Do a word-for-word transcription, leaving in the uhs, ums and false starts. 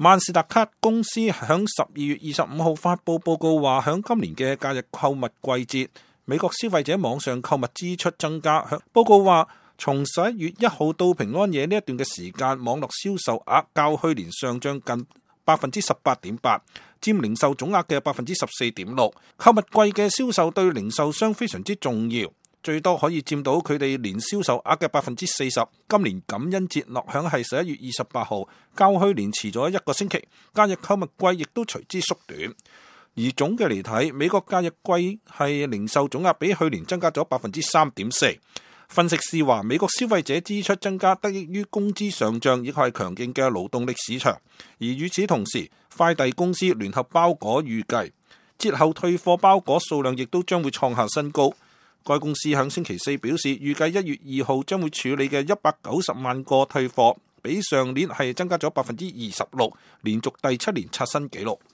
萬事達卡公司響十二月二十五號發佈報告話，響今年嘅假日購物季節，美國消費者網上購物支出增加。報告話，從十一月一號到平安夜呢一段嘅時間，網絡銷售額較去年上漲近百分之十八點八，佔零售總額嘅百分之十四點六。購物季嘅銷售對零售商非常之重要，最多可以佔到佢哋年銷售額嘅百分之四十。今年感恩節落響係十一月二十八號，較去年遲咗一個星期，假日購物季亦都隨之縮短。而總嘅嚟睇，美國假日季係零售總額比去年增加咗百分之三點四。分析師話，美國消費者支出增加得益於工資上漲，亦係強勁嘅勞動力市場。而與此同時，快遞公司聯合包裹預計節後退貨包裹數量亦都將會創下新高。該公司喺星期四表示，預計一月二號將會處理嘅一百九十萬個退貨，比上年係增加咗百分之二十六，連續第七年刷新紀錄。